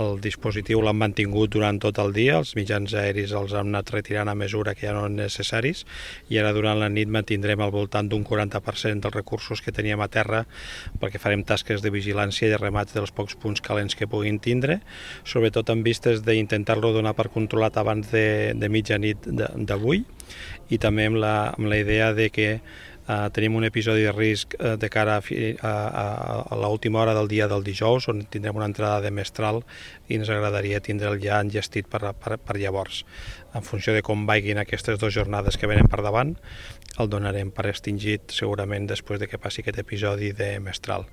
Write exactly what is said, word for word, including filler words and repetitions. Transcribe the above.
el dispositiu l'han mantingut durant tot el dia, els mitjans aeris els han anat retirant a mesura que ja no eren necessaris, i ara durant la nit mantindrem al voltant d'un quaranta per cent dels recursos que teníem a terra, perquè farem tasques de vigilància i de remat dels pocs punts calents que puguin tindre, sobretot en vistes d'intentar-lo donar per controlat abans de, de mitjanit d'avui, i també amb la, amb la idea de que Uh, tenim un episodi de risc uh, de cara a, fi, a, a, a l'última hora del dia del dijous, on tindrem una entrada de mestral i ens agradaria tindre'l ja engestit per, per, per llavors. En funció de com vagin aquestes dues jornades que venen per davant, el donarem per extingit segurament després de que passi aquest episodi de mestral.